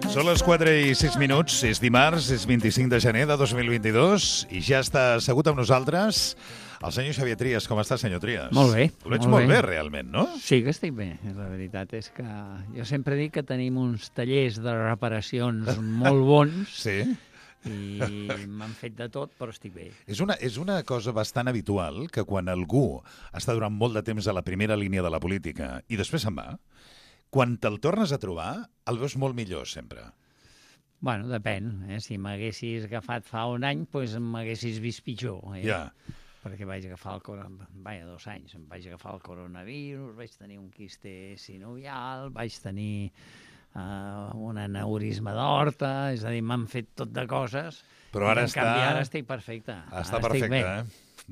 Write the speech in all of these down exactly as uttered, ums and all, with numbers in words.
Són les quatre i sis minuts, és dimarts, és vint-i-cinc de gener de dos mil vint-i-dos i ja està assegut amb nosaltres el senyor Xavier Trias. Com està, senyor Trias? Molt bé. Ho veig molt, molt bé. bé, realment, no? Sí que estic bé. La veritat és que jo sempre dic que tenim uns tallers de reparacions molt bons Sí. i m'han fet de tot, però estic bé. És una, és una cosa bastant habitual que quan algú està durant molt de temps a la primera línia de la política i després se'n va, quan te'l tornes a trobar, el veus molt millor, sempre. Bueno, depèn. Eh? Si m'haguessis agafat fa un any, doncs m'haguessis vist pitjor. Eh? Ja. Perquè vaig agafar el coronavirus, vaja, dos anys, em vaig agafar el coronavirus, vaig tenir un quiste sinovial, vaig tenir uh, un aneurisma d'aorta, és a dir, m'han fet tot de coses. Però ara en està... canvi, ara estic perfecte. Està ara perfecte, estic bé.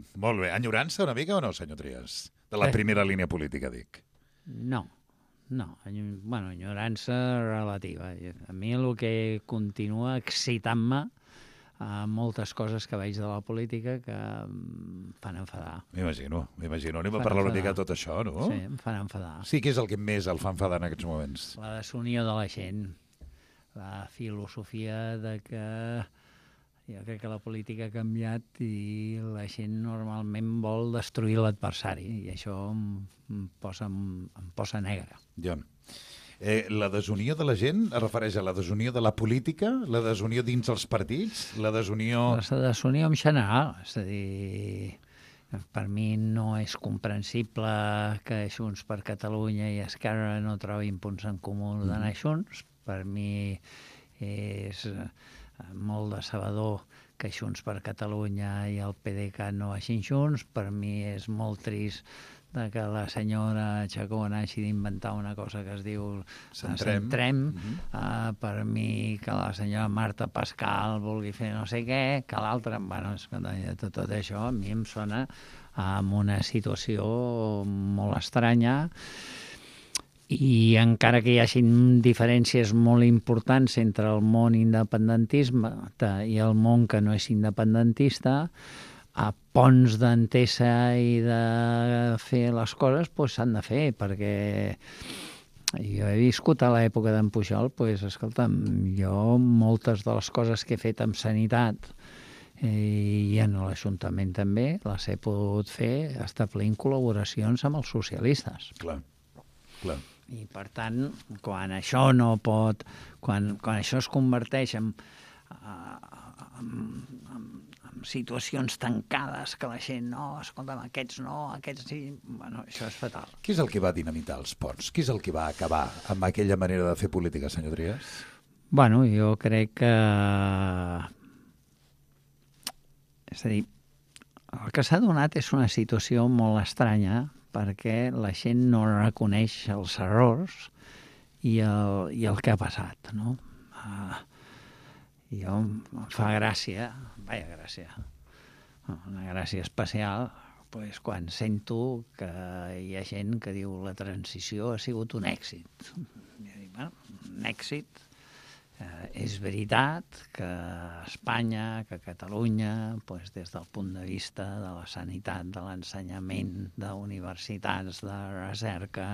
eh? Molt bé. Enyorança una mica o no, senyor Trias? De la Eh. primera línia política, dic. No, no. Enyo- Bueno, enyorança relativa. A mi el que continua excitant-me a moltes coses que veig de la política que em fan enfadar. M'imagino, m'imagino. Anem a Fan parlar una enfadar. mica de tot això, no? Sí, em fan enfadar. Sí, què és el que més el fa enfadar en aquests moments? La desunió de la gent, la filosofia de que jo crec que la política ha canviat i la gent normalment vol destruir l'adversari i això em, em, posa, em, em posa negre. Ja. Eh, la desunió de la gent es refereix a la desunió de la política, la desunió dins els partits, la desunió... La desunió en general, és a dir, per mi no és comprensible que Junts per Catalunya i Esquerra no trobin punts en comú d'anar junts. Per mi és eh, molt decebedor que Junts per Catalunya i el P D C no vagin junts. Per mi és molt trist de que la senyora Chacón hagi d'inventar una cosa que es diu Centrem. Centrem. Mhm. Uh, per mi que la senyora Marta Pascal vulgui fer no sé què, que l'altra... Bueno, és que tot, tot això a mi em sona amb una situació molt estranya i encara que hi hagin diferències molt importants entre el món independentista i el món que no és independentista, a ponts d'entesa i de fer les coses doncs s'han de fer, perquè jo he viscut a l'època d'en Pujol, doncs, escolta'm, jo moltes de les coses que he fet amb sanitat i en l'Ajuntament també les he pogut fer establint col·laboracions amb els socialistes. Clar, clar. I, per tant, quan això no pot... Quan, quan això es converteix en, en, en, en situacions tancades que la gent no, escolta'm, aquests no, aquests sí... Bueno, això és fatal. Qui és el que va dinamitar els ponts? Qui és el que va acabar amb aquella manera de fer política, senyor Trias? Bueno, jo crec que... És a dir, el que s'ha donat és una situació molt estranya perquè la gent no reconeix els errors i el, i el que ha passat, no? Uh, jo em fa gràcia, vaja gràcia, una gràcia especial, pues, quan sento que hi ha gent que diu la transició ha sigut un èxit. I dic, bueno, un èxit. Eh, és veritat que Espanya, que Catalunya, pues, des del punt de vista de la sanitat, de l'ensenyament, d'universitats, de recerca,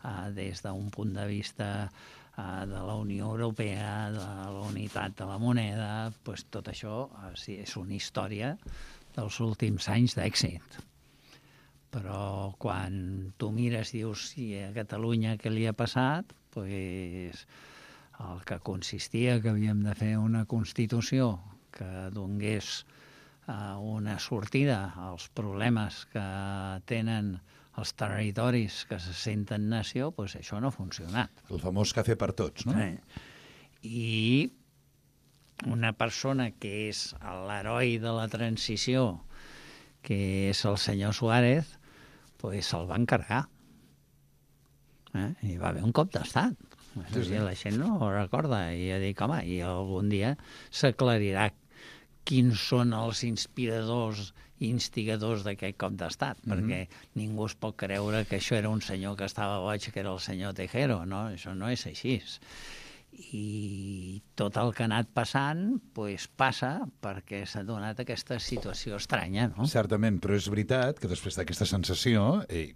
eh, des d'un punt de vista eh, de la Unió Europea, de la unitat de la moneda, pues, tot això eh, sí, és una història dels últims anys d'èxit. Però quan tu mires i dius si a Catalunya què li ha passat, pues, el que consistia que havíem de fer una Constitució que donés eh, una sortida als problemes que tenen els territoris que se senten nació, doncs això no ha funcionat. El famós cafè per tots, no? Sí. I una persona que és l'heroi de la transició, que és el senyor Suárez, doncs se'l va encarregar. Eh? Hi va haver un cop d'estat. Sí, sí. La gent no ho recorda i jo dic, home, i algun dia s'aclarirà quins són els inspiradors i instigadors d'aquest cop d'estat, mm-hmm. perquè ningú es pot creure que això era un senyor que estava boig, que era el senyor Tejero, no? Això no és així. I tot el que ha anat passant pues, passa perquè s'ha donat aquesta situació estranya, no? Certament, però és veritat que després d'aquesta sensació, eh,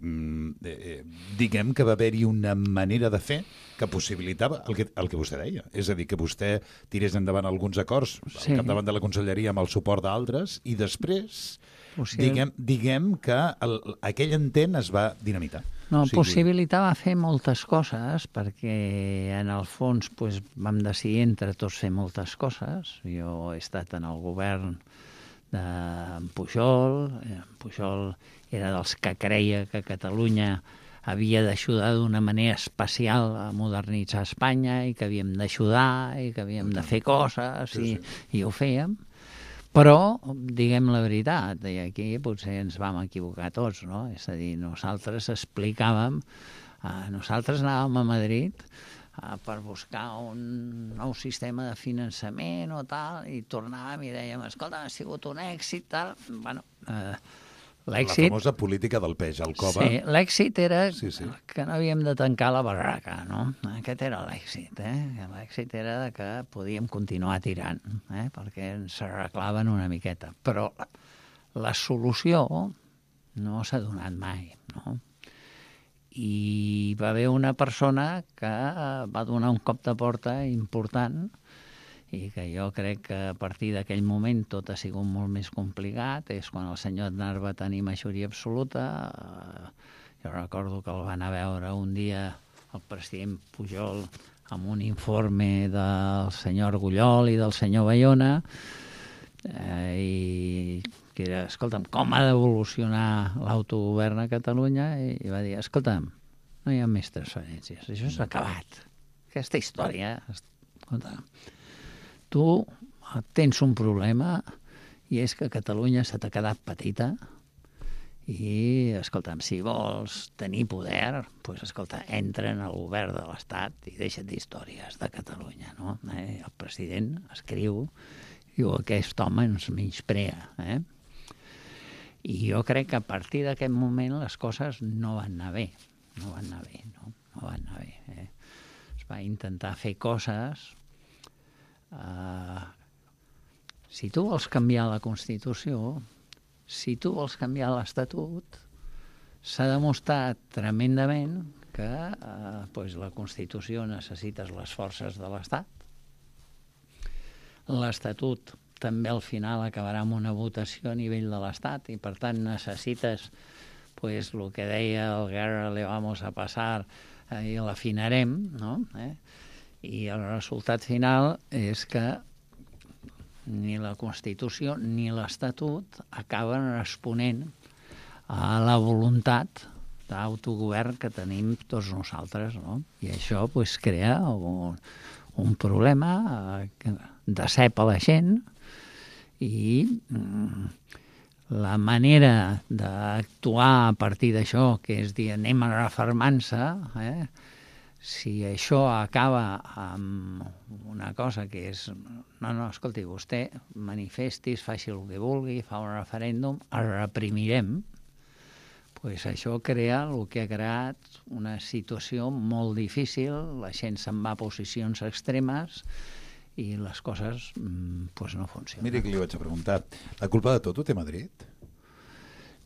eh, diguem que va haver-hi una manera de fer que possibilitava el que, el que vostè deia. És a dir, que vostè tirés endavant alguns acords Sí. al capdavant de la conselleria amb el suport d'altres i després, Possibil... diguem, diguem que el, aquell intent es va dinamitar. No, O sigui, possibilitava fer moltes coses perquè en el fons pues, vam decidir entre tots fer moltes coses. Jo he estat en el govern d'en Pujol, en Pujol era dels que creia que Catalunya havia d'ajudar d'una manera especial a modernitzar Espanya i que havíem d'ajudar i que havíem de fer coses Sí, i, sí. i ho fèiem. Però, diguem la veritat, i aquí potser ens vam equivocar tots, no? És a dir, nosaltres explicàvem, eh, nosaltres anàvem a Madrid eh, per buscar un nou sistema de finançament o tal, i tornàvem i dèiem, escolta, ha sigut un èxit, tal. Bueno, eh, l'èxit... La famosa política del peix al cova. Sí, l'èxit era Sí, sí. que no havíem de tancar la barraca, no? Aquest era l'èxit, eh? L'èxit era de que podíem continuar tirant, eh? Perquè ens arreglaven una miqueta. Però la, la solució no s'ha donat mai, no? I va haver una persona que va donar un cop de porta important i que jo crec que a partir d'aquell moment tot ha sigut molt més complicat. És quan el senyor Aznar va tenir majoria absoluta. Jo recordo que el van a veure un dia el president Pujol amb un informe del senyor Argullol i del senyor Bayona, eh, i que era, escolta'm, com ha d'evolucionar l'autogovern a Catalunya? I, i va dir, escolta'm, no hi ha més transferències, això s'ha acabat. Aquesta història, escolta'm, tu tens un problema i és que Catalunya se t'ha quedat petita i, escolta'm, si vols tenir poder, doncs, escolta, entra en el govern de l'Estat i deixa't d'històries de Catalunya, no? Eh? El president escriu i diu, aquest home ens menysprea, eh? I jo crec que a partir d'aquest moment les coses no van anar bé, no van anar bé, no? No van anar bé, eh? Es va intentar fer coses. Uh, si tu vols canviar la Constitució, si tu vols canviar l'Estatut, s'ha demostrat tremendament que uh, pues la Constitució necessites les forces de l'Estat. L'Estatut també al final acabarà amb una votació a nivell de l'Estat i per tant necessites pues, el que deia el Guerra le vamos a passar eh, i l'afinarem, no? Eh? I el resultat final és que ni la Constitució ni l'Estatut acaben responent a la voluntat d'autogovern que tenim tots nosaltres, no? I això pues, crea un, un problema que decep a la gent i mm, la manera d'actuar a partir d'això, que és dir, anem a refermar-se, eh? Si això acaba amb una cosa que és... No, no, escolti, vostè manifestis, faci el que vulgui, fa un referèndum, el reprimirem, pues això crea el que ha creat una situació molt difícil, la gent se'n va a posicions extremes i les coses pues, no funcionen. Miri que li vaig a preguntar, la culpa de tot ho té Madrid?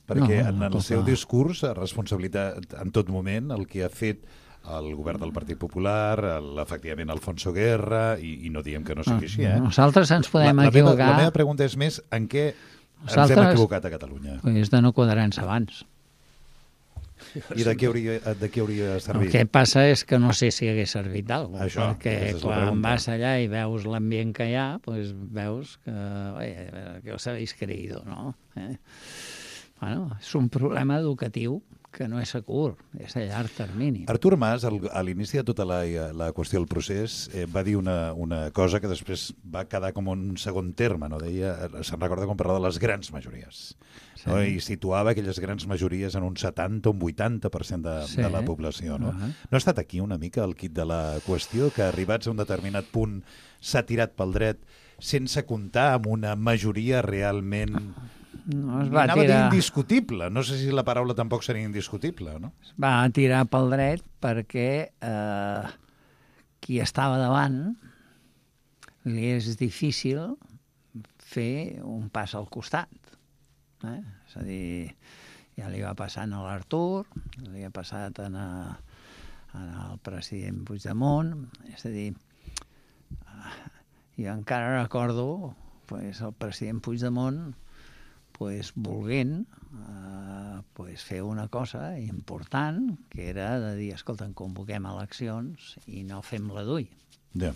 Perquè No, en el culpa- seu discurs, responsabilitat en tot moment, el que ha fet el govern del Partit Popular, el, efectivament Alfonso Guerra, i, i no diem que no sigui així, eh? Nosaltres ens podem la, la equivocar... Meva, la meva pregunta és més en què ens Nosaltres- hem equivocat a Catalunya. És de no quadrar-nos abans. I de què hauria, de què hauria El servit? que passa és que no sé si hagués servit alguna cosa, Això, perquè aquesta és la quan pregunta. vas allà i veus l'ambient que hi ha, doncs veus que, oye, que us habéis creído, ¿no? Eh? Bueno, és un problema educatiu que no és a curt, és a llarg termini. Artur Mas, al, a l'inici de tota la, la qüestió del procés, eh, va dir una, una cosa que després va quedar com un segon terme, no? Deia, se'n recorda quan parlava de les grans majories. Sí. No? I situava aquelles grans majories en un setanta o un vuitanta per cent de, Sí. de la població. No? Uh -huh. no ha estat aquí una mica el quid de la qüestió, que arribats a un determinat punt s'ha tirat pel dret sense comptar amb una majoria realment... No, es va Anava tirar, a dir indiscutible. No sé si la paraula tampoc seria indiscutible, no? es va tirar pel dret perquè eh, qui estava davant li és difícil fer un pas al costat. Eh? És a dir, ja li va passant a l'Artur, li ha passat en, a, en el president Puigdemont, és a dir, jo encara recordo pues, el president Puigdemont pues, volent eh, pues, fer una cosa important, que era de dir, escolta, convoquem eleccions i no fem la d'ull. Ja.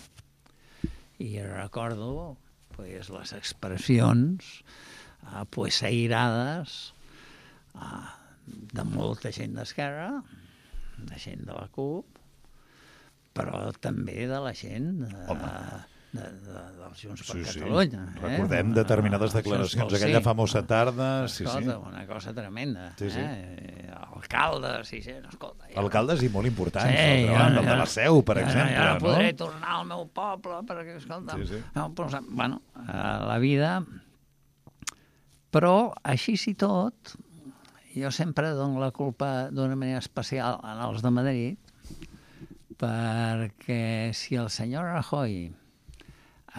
I recordo pues, les expressions eh, pues, airades eh, de molta gent d'Esquerra, de gent de la CUP, però també de la gent de, de, de, dels Junts per Sí, sí. Catalunya. Eh? Recordem determinades declaracions, aquella famosa tarda. Sí, escolta, sí. una cosa tremenda. Sí, sí. Eh? Alcaldes i gent, escolta. Ja... Alcaldes i molt importants, Sí, no? ja, el de ja. la Seu, per ja, exemple. Ja no no? podré tornar al meu poble perquè, escolta... Sí, sí. No, però, bueno, eh, la vida... Però, així i tot, jo sempre dono la culpa d'una manera especial als de Madrid, perquè si el senyor Rajoy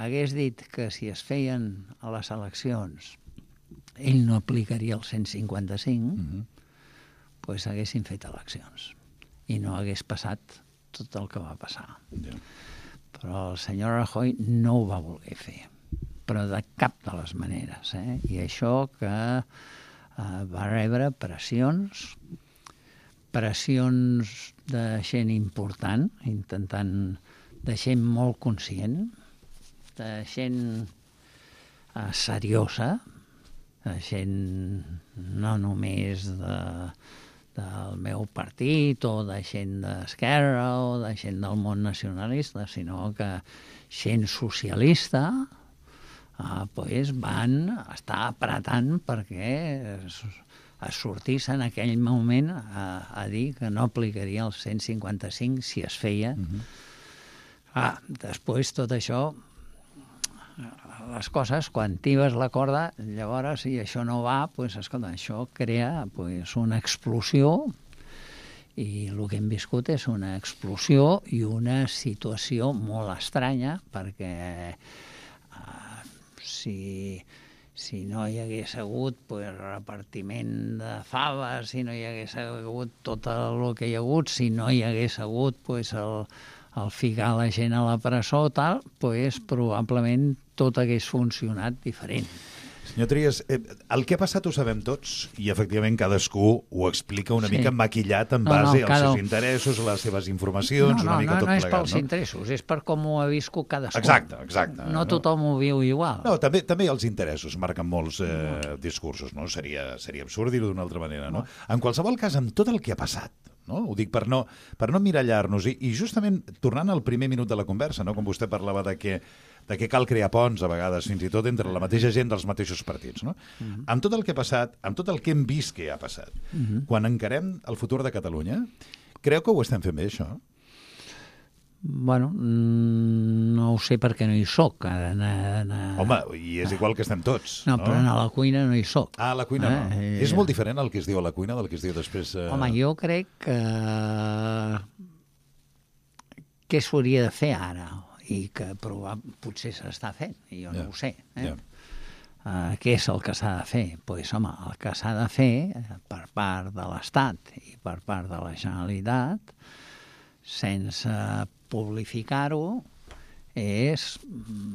hagués dit que si es feien a les eleccions ell no aplicaria el cent cinquanta-cinc, Mhm. pues haguessin fet eleccions i no hagués passat tot el que va passar. Ja. Però el senyor Rajoy no ho va voler fer, però de cap de les maneres. Eh? I això que eh, va rebre pressions, pressions de gent important, intentant, de gent molt conscient, de gent eh, seriosa, de gent no només de, del meu partit o de gent d'Esquerra o de gent del món nacionalista, sinó que gent socialista eh, pues van estar apretant perquè es, es sortís en aquell moment a, a dir que no aplicaria el cent cinquanta-cinc si es feia. Mm-hmm. Ah, després tot això, les coses, quan tibes la corda, llavors, si això no va, pues, escolta, això crea pues, una explosió i el que hem viscut és una explosió i una situació molt estranya perquè uh, si... si no hi hagués hagut pues, repartiment de faves, si no hi hagués hagut tot el que hi ha hagut, si no hi hagués hagut pues, el, el ficar la gent a la presó, tal, pues, probablement tot hagués funcionat diferent. Senyor Trias, eh, el que ha passat ho sabem tots i efectivament cadascú ho explica una Sí. mica maquillat en No, base no, als cada- seus interessos, a les seves informacions, No, no, una mica no, tot no és plegat. pels No? interessos, és per com ho ha viscut cadascú. Exacte, exacte. No tothom ho viu igual. No, també, també els interessos marquen molts eh, discursos, no? Seria, seria absurd dir-ho d'una altra manera, no? En qualsevol cas, amb tot el que ha passat, no? Ho dic per no, per no mirallar-nos, i, i justament tornant al primer minut de la conversa, no? Com vostè parlava de que, de que cal crear ponts, a vegades, fins i tot entre la mateixa gent dels mateixos partits, no? Uh-huh. Amb tot el que ha passat, amb tot el que hem vist que ha passat, uh-huh. quan encarem el futur de Catalunya, creu que ho estem fent bé, això? Bueno, no ho sé perquè no hi soc. Ara, na, na... Home, i és igual que estem tots. No, no? però a la cuina no hi soc. Ah, a la cuina no. Eh, És molt diferent el que es diu a la cuina del que es diu després... Eh... Home, jo crec que... què s'hauria de fer ara? I que probab... potser s'està fent, i jo no Ja, ho sé. Eh? ja. Uh, què és el que s'ha de fer? Doncs, pues, home, el que s'ha de fer eh, per part de l'Estat i per part de la Generalitat, sense publificar-ho, és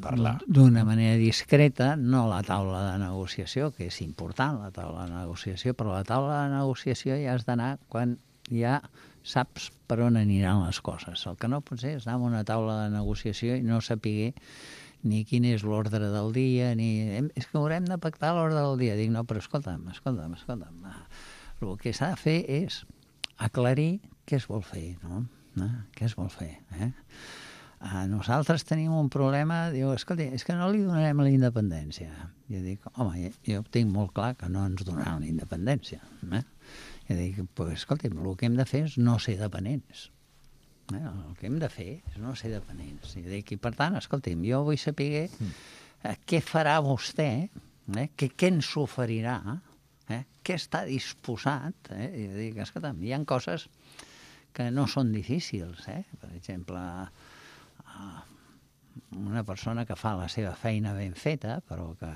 Parlar. d'una manera discreta, no la taula de negociació, que és important, la taula de negociació, però la taula de negociació ja has d'anar quan ja saps per on aniran les coses. El que no pot ser és anar a una taula de negociació i no saber ni quin és l'ordre del dia, ni... És que haurem de pactar l'ordre del dia. Dic, no, però escolta'm, escolta'm, escolta'm. El que s'ha de fer és aclarir què es vol fer, no? no? Què es vol fer, eh? Uh, nosaltres tenim un problema, diu, escolta, és que no li donarem la independència. Jo dic, home, jo tinc molt clar que no ens donaran la independència. Eh? Jo dic, pues, escolta, el que hem de fer és no ser dependents. Eh? El que hem de fer és no ser dependents. Jo dic, i per tant, escolti'm, jo vull saber eh, què farà vostè, eh? què, què ens oferirà, eh? què està disposat. Eh? Jo dic, escolta'm, hi ha coses que no són difícils. Eh? Per exemple, una persona que fa la seva feina ben feta, però que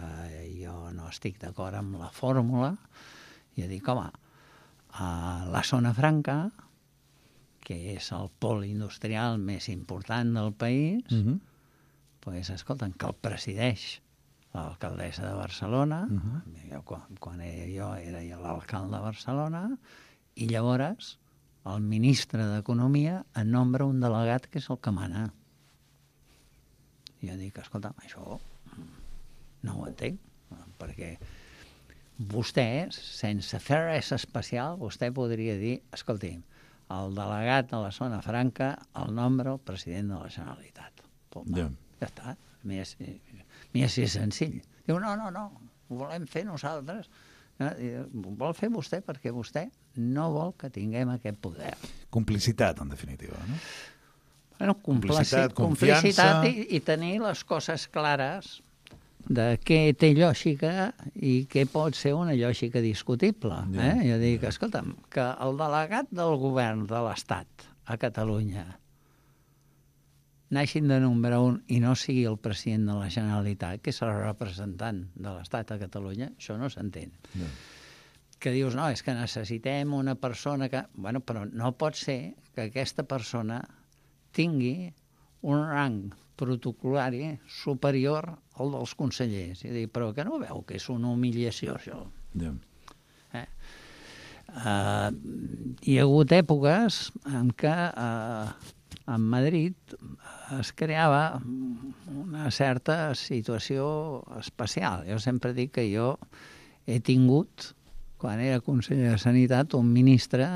jo no estic d'acord amb la fórmula, i dic, home, a la zona franca, que és el pol industrial més important del país, Uh-huh. pues, escolta'm, que el presideix l'alcaldessa de Barcelona, Uh-huh. jo, quan, quan era jo era l'alcalde de Barcelona, i llavors el ministre d'Economia en nombra un delegat que és el que mana. I jo dic, escolta'm, això no ho entenc, perquè vostè, sense fer res especial, vostè podria dir, escolti, el delegat de la zona franca el nombra el president de la Generalitat. Pum, Ja. ja està, més, més és senzill. Diu, no, no, no, ho volem fer nosaltres. No, ho vol fer vostè perquè vostè no vol que tinguem aquest poder. Complicitat, en definitiva, no? Bueno, Complicitat, complicitat, complicitat confiança. i, i tenir les coses clares de què té lògica i què pot ser una lògica discutible. Ja, Eh? Jo dic, ja. escolta'm, que el delegat del govern de l'Estat a Catalunya n'hagin de nombrar un i no sigui el president de la Generalitat, que és el representant de l'Estat a Catalunya, això no s'entén. Ja. Que dius, no, és que necessitem una persona que... Bueno, però no pot ser que aquesta persona tingui un rang protocolari superior al dels consellers. I dic, però que no veu que és una humiliació, això? Ja. Eh? Uh, hi ha hagut èpoques en què uh, en Madrid es creava una certa situació especial. Jo sempre dic que jo he tingut, quan era conseller de Sanitat, un ministre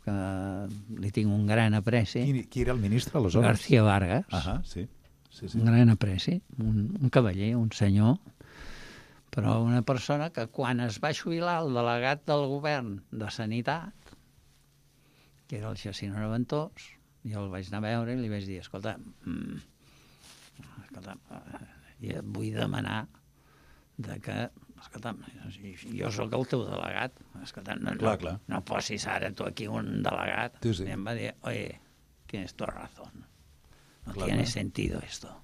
que li tinc un gran apreci, Qui, qui era el ministre, aleshores? García Vargas, Ah, sí. sí, sí. un gran apreci, un, un cavaller, un senyor, però una persona que quan es va jubilar el delegat del govern de Sanitat, que era el Jacint Reventós, jo el vaig anar a veure i li vaig dir, escolta, mm, escolta, eh, vull demanar de que, escolta, jo sóc el teu delegat, escolta, no, Clar, no, clar. no posis ara tu aquí un delegat. Sí, sí. I em va dir, oye, tienes toda razón, no Clar, tiene clar. sentido esto.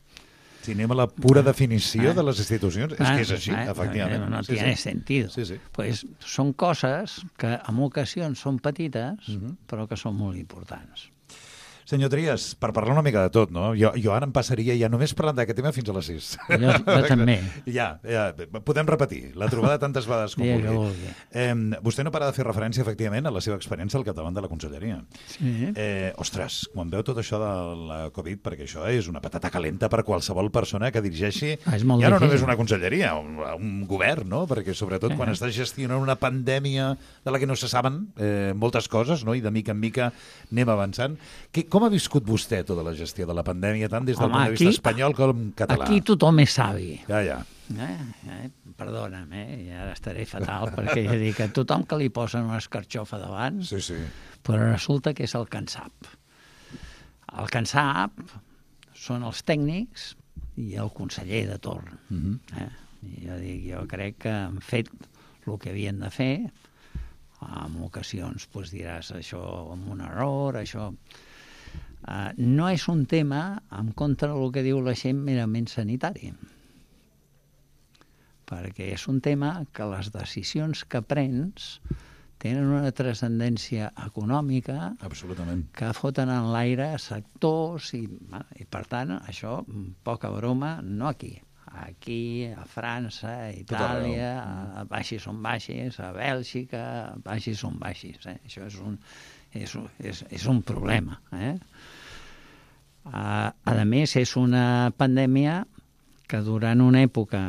Si anem a la pura definició Ah. de les institucions, és que és així, Ah, efectivament. No, no Sí, tiene sí. sentido. Sí, sí. Pues són coses que en ocasions són petites, Mhm. però que són molt importants. Senyor Trias, per parlar una mica de tot, no? Jo, jo ara em passaria ja només parlant d'aquest tema fins a les sis. Jo, jo també. Ja, ja, podem repetir la trobada tantes vegades com Dia que vulgui. vulgui. Eh, vostè no para de fer referència, efectivament, a la seva experiència al capdavant de la conselleria. Sí. Eh, ostres, quan veu tot això de la Covid, perquè això és una patata calenta per qualsevol persona que dirigeixi Ah, és molt ja no difícil. només una conselleria, un, un govern, no? Perquè sobretot quan Eh. estàs gestionant una pandèmia de la que no se saben eh, moltes coses, no? I de mica en mica anem avançant. Que, com ha viscut vostè tota la gestió de la pandèmia, tant des del Home, punt de vista aquí- espanyol com català? Aquí tothom és savi. Ja, ja. Eh? Eh? Perdona'm, eh? I ara estaré fatal, perquè ja dic que tothom que li posen una escarxofa davant, Sí, sí. però resulta que és el que en sap. El que en sap són els tècnics i el conseller de torn. Mhm. Eh? I jo dic, jo crec que han fet el que havien de fer. En ocasions doncs, diràs això amb un error, això... Uh, no és un tema en contra del que diu la gent merament sanitari, perquè és un tema que les decisions que prens tenen una transcendència econòmica Absolutament. que foten en l'aire sectors i, i per tant, això, poca broma, no aquí. Aquí, a França, a Itàlia, a, a baixis on baixis, a Bèlgica, a baixis on baixis. Eh? Això és un, és, un- és, és un problema. Eh? A, a més, és una pandèmia que durant una època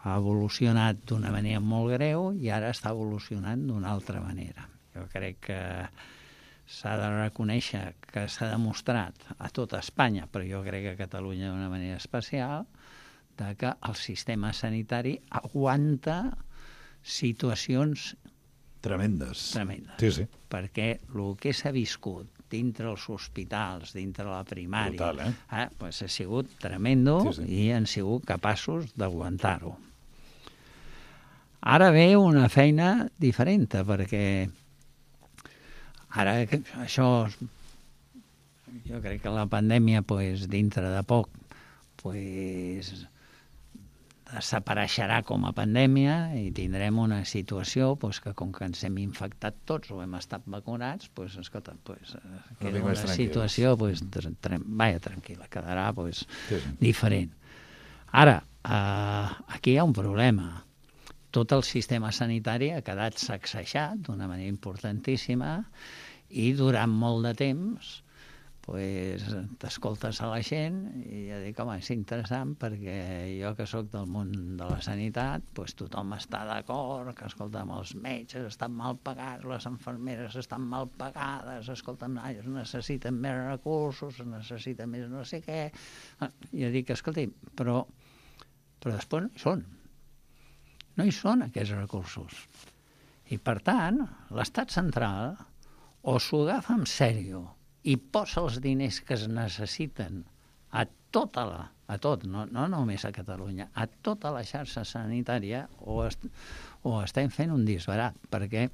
ha evolucionat d'una manera molt greu i ara està evolucionant d'una altra manera. Jo crec que s'ha de reconèixer que s'ha demostrat a tota Espanya, però jo crec que a Catalunya d'una manera especial, de que el sistema sanitari aguanta situacions Tremendes. tremendes. Sí, sí. Perquè el que s'ha viscut dintre els hospitals, dintre la primària, Brutal, eh? eh, pues ha sigut tremendo Sí, sí. i han sigut capaços d'aguantar-ho. Ara ve una feina diferent, perquè ara que això jo crec que la pandèmia, pues, dintre de poc, pues, desapareixerà com a pandèmia i tindrem una situació pues, que com que ens hem infectat tots o hem estat vacunats, pues, escolta, pues, queda una situació pues, vaja, tranquil·la, quedarà pues, sí, sí. diferent. Ara, eh, aquí hi ha un problema. Tot el sistema sanitari ha quedat sacsejat d'una manera importantíssima i durant molt de temps pues, t'escoltes a la gent i ja dic, home, és interessant perquè jo que sóc del món de la sanitat, pues, tothom està d'acord, que escolta'm, els metges estan mal pagats, les infermeres estan mal pagades, escolta'm, es necessiten més recursos, es necessita més no sé què. I jo dic, escolti, però, però després no hi són. No hi són aquests recursos. I per tant, l'estat central o s'ho agafa en sèrio i posa els diners que es necessiten a tota la, a tot, no, no només a Catalunya, a tota la xarxa sanitària, o, est, o estem fent un disbarat, perquè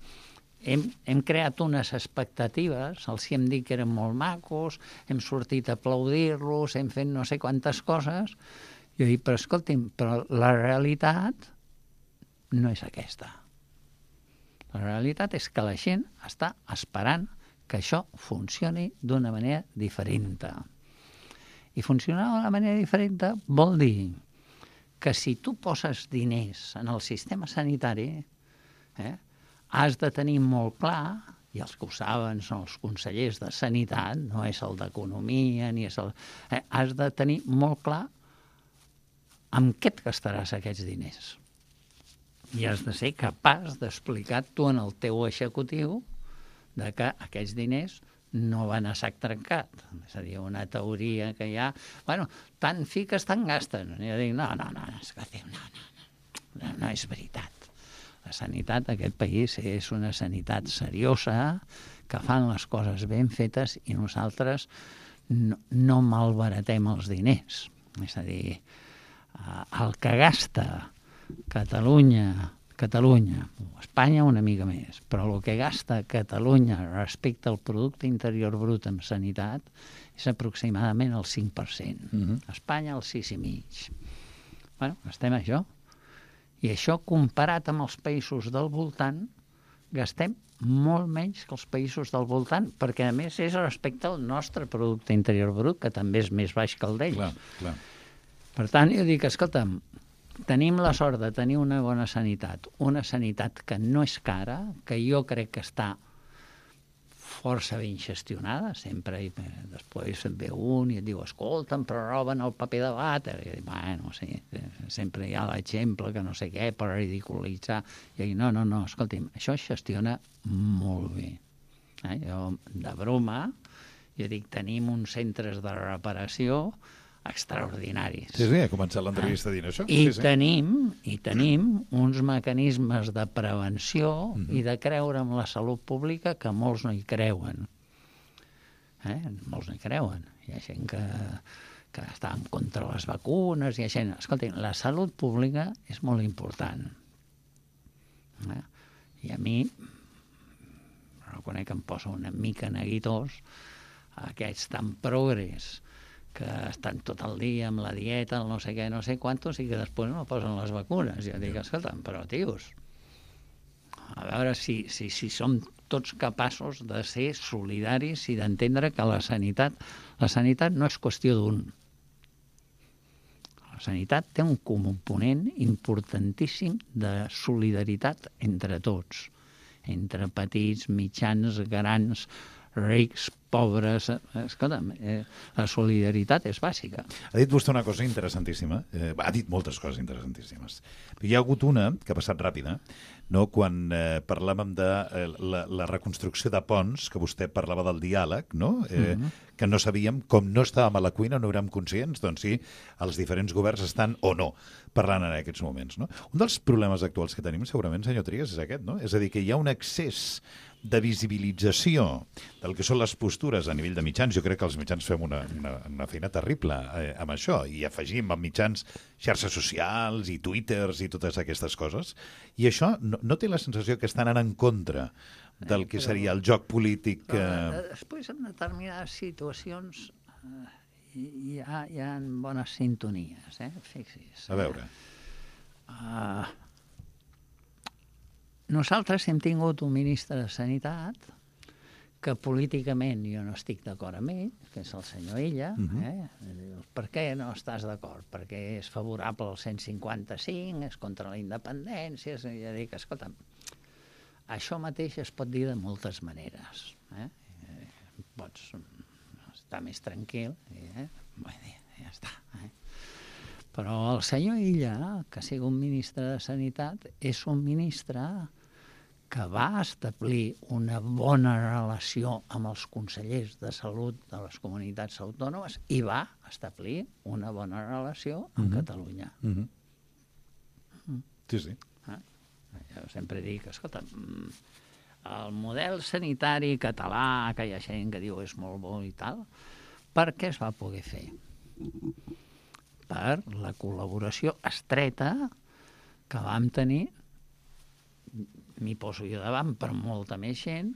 hem, hem creat unes expectatives, els hem dit que eren molt macos, hem sortit a aplaudir-los, hem fet no sé quantes coses, i jo dic, però escolti'm, però la realitat no és aquesta. La realitat és que la gent està esperant que això funcioni d'una manera diferent. I funcionar d'una manera diferent vol dir que si tu poses diners en el sistema sanitari, eh, has de tenir molt clar, i els que ho saben són els consellers de Sanitat, no és el d'Economia, ni és el... Eh, has de tenir molt clar amb què et gastaràs aquests diners. I has de ser capaç d'explicar tu en el teu executiu de que aquests diners no van a sac trencat. És a dir, una teoria que hi ha... Bueno, tant fiques, tant gasten. I jo dic, no, no, no, escolteu, no, no, no, no és veritat. La sanitat d'aquest país és una sanitat seriosa, que fan les coses ben fetes i nosaltres no, no malbaratem els diners. És a dir, el que gasta Catalunya, Catalunya, Espanya una mica més, però el que gasta Catalunya respecte al producte interior brut en sanitat és aproximadament el cinc per cent. Uh-huh. Espanya el sis i mig. Bueno, estem això. I això comparat amb els països del voltant, gastem molt menys que els països del voltant, perquè a més és respecte al nostre producte interior brut, que també és més baix que el d'ells. Clar, clar. Per tant, jo dic, escolta'm, tenim la sort de tenir una bona sanitat, una sanitat que no és cara, que jo crec que està força ben gestionada, sempre, i després et ve un i et diu, escolta'm, però roben el paper de vàter, i dic, bueno, sí, sempre hi ha l'exemple que no sé què per ridiculitzar, i dic, no, no, no, escolti'm, això es gestiona molt bé. Eh? Jo, de broma, jo dic, tenim uns centres de reparació extraordinaris. Sí, sí, he començat l'entrevista dient això. I, sí, sí. tenim, I tenim uns mecanismes de prevenció mm-hmm. i de creure en la salut pública que molts no hi creuen. Eh? Molts no hi creuen. Hi ha gent que, que està en contra de les vacunes, hi ha gent... Escolti, la salut pública és molt important. Eh? I a mi, reconec que em posa una mica neguitós aquests tan progres que estan tot el dia amb la dieta, el no sé què, no sé quantos, i que després no posen les vacunes. Jo dic, escolta'm, però, tios, a veure si, si, si som tots capaços de ser solidaris i d'entendre que la sanitat, la sanitat no és qüestió d'un. La sanitat té un component importantíssim de solidaritat entre tots, entre petits, mitjans, grans, rics, pobres... Escolta'm, eh, la solidaritat és bàsica. Ha dit vostè una cosa interessantíssima. Eh, ha dit moltes coses interessantíssimes. Hi ha hagut una que ha passat ràpida, no? Quan eh, parlàvem de eh, la, la reconstrucció de ponts, que vostè parlava del diàleg, no? Eh, mm-hmm. que no sabíem, com no estàvem a la cuina, no érem conscients, doncs sí, els diferents governs estan o no parlant en aquests moments. No? Un dels problemes actuals que tenim, segurament, senyor Trias, és aquest, no? És a dir, que hi ha un excés de visibilització del que són les postures a nivell de mitjans. Jo crec que els mitjans fem una, una, una feina terrible eh, amb això, i afegim amb mitjans xarxes socials i twitters i totes aquestes coses, i això no, no té la sensació que estan anant en contra del que seria el joc polític. Però, després, en determinades situacions, eh, hi, ha, hi ha bones sintonies, eh? Fixi's. A veure. Uh, nosaltres hem tingut un ministre de Sanitat que políticament jo no estic d'acord amb ell, que és el senyor Illa. Uh-huh. eh? Per què no estàs d'acord? Perquè és favorable al cent cinquanta-cinc, és contra la independència, és, ja dic, escolta, això mateix es pot dir de moltes maneres. Eh? Pots estar més tranquil, eh? Vull dir, ja està. Eh? Però el senyor Illa, que sigui un ministre de Sanitat, és un ministre que va establir una bona relació amb els consellers de salut de les comunitats autònomes i va establir una bona relació amb uh-huh. Catalunya. Uh-huh. Uh-huh. Sí, sí. Eh? Jo sempre dic, escolta, el model sanitari català, que hi ha gent que diu és molt bo i tal, per què es va poder fer? Per la col·laboració estreta que vam tenir, m'hi poso jo davant, per molta més gent,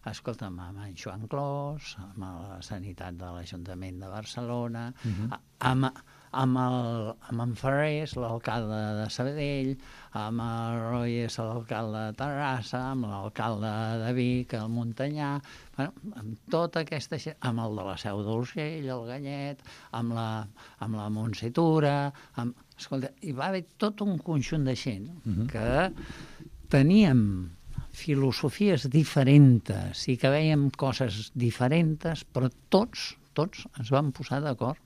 escolta'm, amb en Joan Clos, amb la Sanitat de l'Ajuntament de Barcelona, uh-huh. amb, amb, el, amb en Ferrés, l'alcalde de Sabadell, amb el Royes, l'alcalde de Terrassa, amb l'alcalde de Vic, el Montanyà, bueno, amb tota aquesta gent, amb el de la Seu d'Urgell, el Ganyet, amb la, amb la Montse Tura, amb, escolta, hi va haver tot un conjunt de gent uh-huh. que teníem filosofies diferents i que veiem coses diferents, però tots, tots ens vam posar d'acord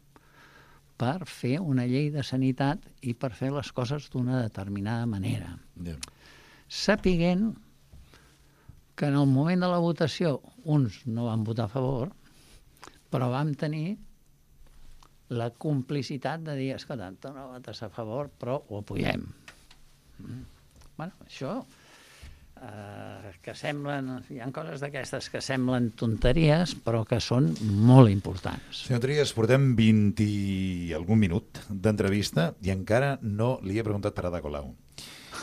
per fer una llei de sanitat i per fer les coses d'una determinada manera. Yeah. Sapiguent que en el moment de la votació uns no van votar a favor, però vam tenir la complicitat de dir, escolta, tu no votes a favor, però ho apoyem. Mm. Bueno, això, eh, que semblen, hi ha coses d'aquestes que semblen tonteries, però que són molt importants. Senyor Trias, portem vint i algun minut d'entrevista i encara no li he preguntat per Ada Colau.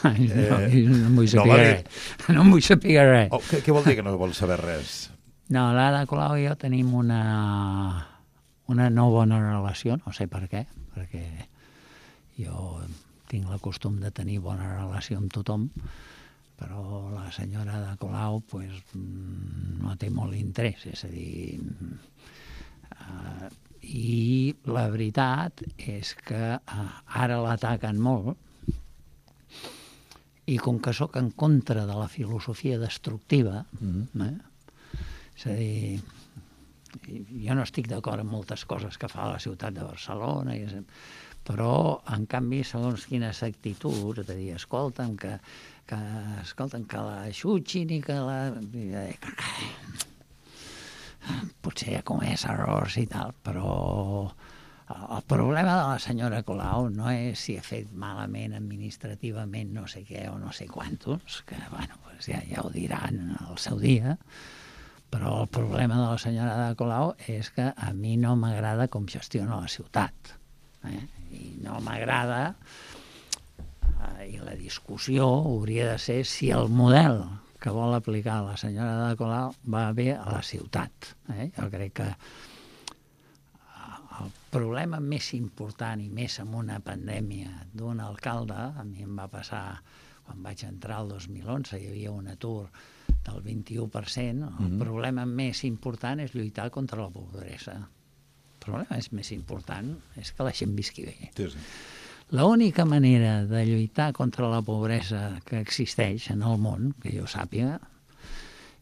Ai, no, eh, no em vull saber no, res. No em vull saber res. Oh, què, què vol dir que no vol saber res? No, l'Ada Colau i jo tenim una, una no bona relació, no sé per què, perquè jo tinc el costum de tenir bona relació amb tothom, però la senyora Ada Colau pues, no té molt interès, és a dir... Uh, I la veritat és que uh, ara l'ataquen molt i com que sóc en contra de la filosofia destructiva, mm-hmm. eh? És a dir, jo no estic d'acord amb moltes coses que fa la ciutat de Barcelona, i però, en canvi, segons quines actituds, de dir, escolta'm, que, que, escolta'm, que la xutxin i que la... Potser ha comès errors i tal, però el problema de la senyora Colau no és si ha fet malament administrativament no sé què o no sé quantos, que, bueno, pues ja, ja ho diran al seu dia, però el problema de la senyora Ada Colau és que a mi no m'agrada com gestiona la ciutat. Eh? I no m'agrada, eh, i la discussió hauria de ser si el model que vol aplicar la senyora Ada Colau va bé a la ciutat. Eh? Jo crec que el problema més important i més amb una pandèmia d'un alcalde, a mi em va passar quan vaig entrar el dos mil onze, hi havia un atur del vint-i-u per cent, el mm-hmm. problema més important és lluitar contra la pobresa. El problema més important és que la gent visqui bé. Sí, sí. L'única manera de lluitar contra la pobresa que existeix en el món, que jo sàpiga,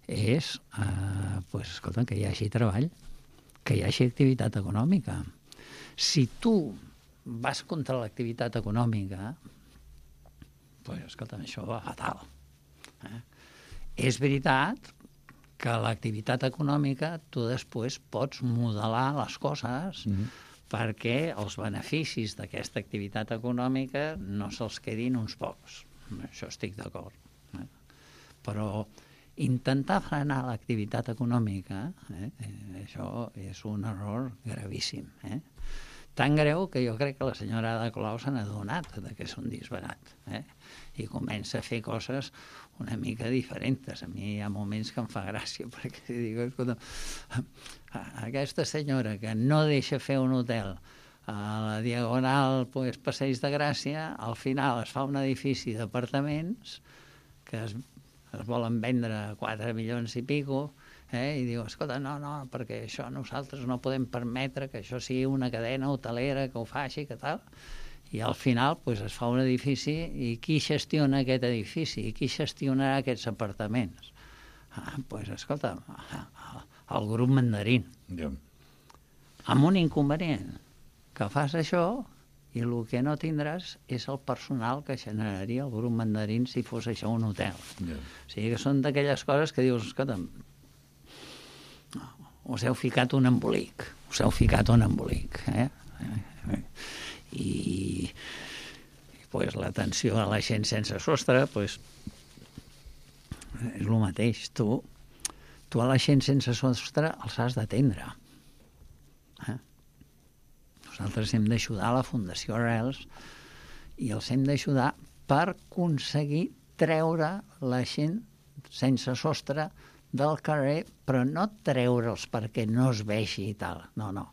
és eh, pues, escolta, que hi hagi treball, que hi hagi activitat econòmica. Si tu vas contra l'activitat econòmica, pues, escolta, això va fatal. Eh? És veritat que l'activitat econòmica tu després pots modelar les coses mm-hmm. perquè els beneficis d'aquesta activitat econòmica no se'ls quedin uns pocs. Això estic d'acord. Eh? Però intentar frenar l'activitat econòmica, eh, això és un error gravíssim. Eh? tan greu que jo crec que la senyora Ada Colau se n'ha adonat que és un disbarat, eh? I comença a fer coses una mica diferents. A mi hi ha moments que em fa gràcia, perquè dic, escolta, aquesta senyora que no deixa fer un hotel a la Diagonal, pues, Passeig de Gràcia, al final es fa un edifici d'apartaments que es, es volen vendre a quatre milions i pico, eh? I diu, escolta, no, no, perquè això nosaltres no podem permetre que això sigui una cadena hotelera que ho faci, que tal. I al final pues, es fa un edifici i qui gestiona aquest edifici? I qui gestionarà aquests apartaments? Ah, pues, escolta, el grup Mandarín. Yeah. Amb un inconvenient, que fas això i el que no tindràs és el personal que generaria el grup Mandarín si fos això un hotel. Yeah. O sigui que són d'aquelles coses que dius, escolta, us heu ficat un embolic, us heu ficat un embolic, eh? I, i pues, l'atenció a la gent sense sostre pues, és el mateix. Tu, tu a la gent sense sostre els has d'atendre. Eh? Nosaltres hem d'ajudar a la Fundació Arrels i els hem d'ajudar per aconseguir treure la gent sense sostre del carrer, però no treure'ls perquè no es vegi i tal, no, no.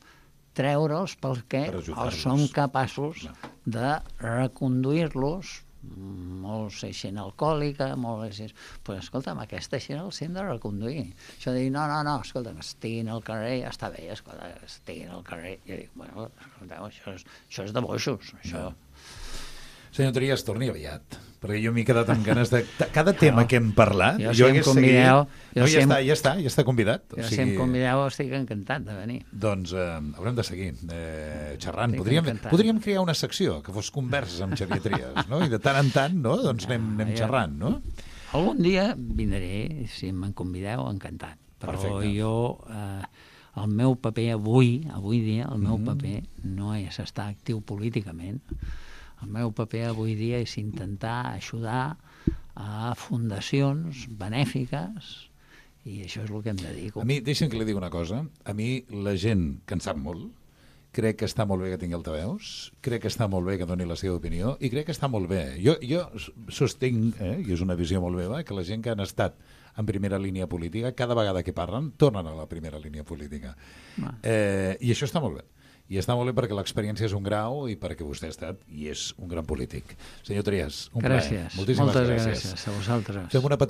Treure'ls perquè Per els som capaços de reconduir-los, molts gent alcohòlica, molts gent... Pues, escolta'm, aquesta gent els hem de reconduir. Això de dir, no, no, no, escolta, que estiguin al carrer, ja està bé, escolta, que estiguin al carrer. I jo dic, bueno, escolteu, això és, això és de boixos, això... No. Senyor Trias, torni aviat, perquè jo m'he quedat amb ganes de... Cada tema que hem parlat... Jo, si em convideu... No, ja està, ja està, ja està convidat. Jo, si em convideu, estic encantat de venir. Doncs eh, haurem de seguir eh, xerrant. Podríem, podríem crear una secció que fos converses amb Xavier Trias, no? I de tant en tant, no? Doncs anem, anem xerrant, no? Algun dia vindré, si em convideu, encantat. Però Perfecte. jo... Eh, el meu paper avui, avui dia, el meu mm. paper no és estar actiu políticament. El meu paper avui dia és intentar ajudar a fundacions benèfiques i això és el que em dedico. A mi, deixa'm que li digui una cosa, a mi la gent que en sap molt, crec que està molt bé que tingui altaveus, crec que està molt bé que doni la seva opinió i crec que està molt bé. Jo, jo sostinc, eh, i és una visió molt meva, que la gent que han estat en primera línia política, cada vegada que parlen, tornen a la primera línia política. Eh, I això està molt bé. I està molt bé perquè l'experiència és un grau i perquè vostè ha estat i és un gran polític. Senyor Trias, un gràcies. plaer. Moltíssimes Moltes gràcies. gràcies a vosaltres. Fem una